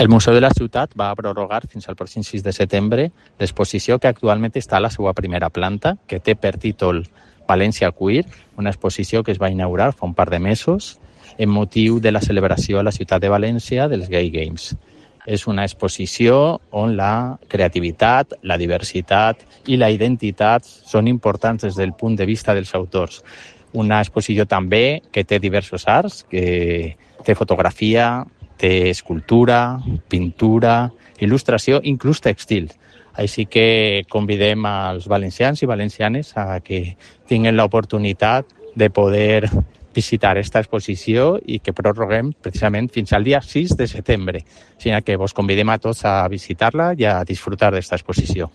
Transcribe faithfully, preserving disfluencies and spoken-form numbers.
El Museu de la Ciutat va prorrogar fins al pròxim sis de setembre l'exposició que actualment està a la seva primera planta, que té per títol València Queer, una exposició que es va inaugurar fa un par de mesos en motiu de la celebració a la ciutat de València dels Gay Games. És una exposició on la creativitat, la diversitat i la identitat són importants des del punt de vista dels autors. Una exposició també que té diversos arts, que té fotografia, té escultura, pintura, il·lustració, inclús tèxtil. Així que convidem als valencians i valencianes a que tinguin l'oportunitat de poder visitar aquesta exposició i que prorroguem precisament fins al dia sis de setembre. Així que vos convidem a tots a visitar-la i a disfrutar d'esta exposició.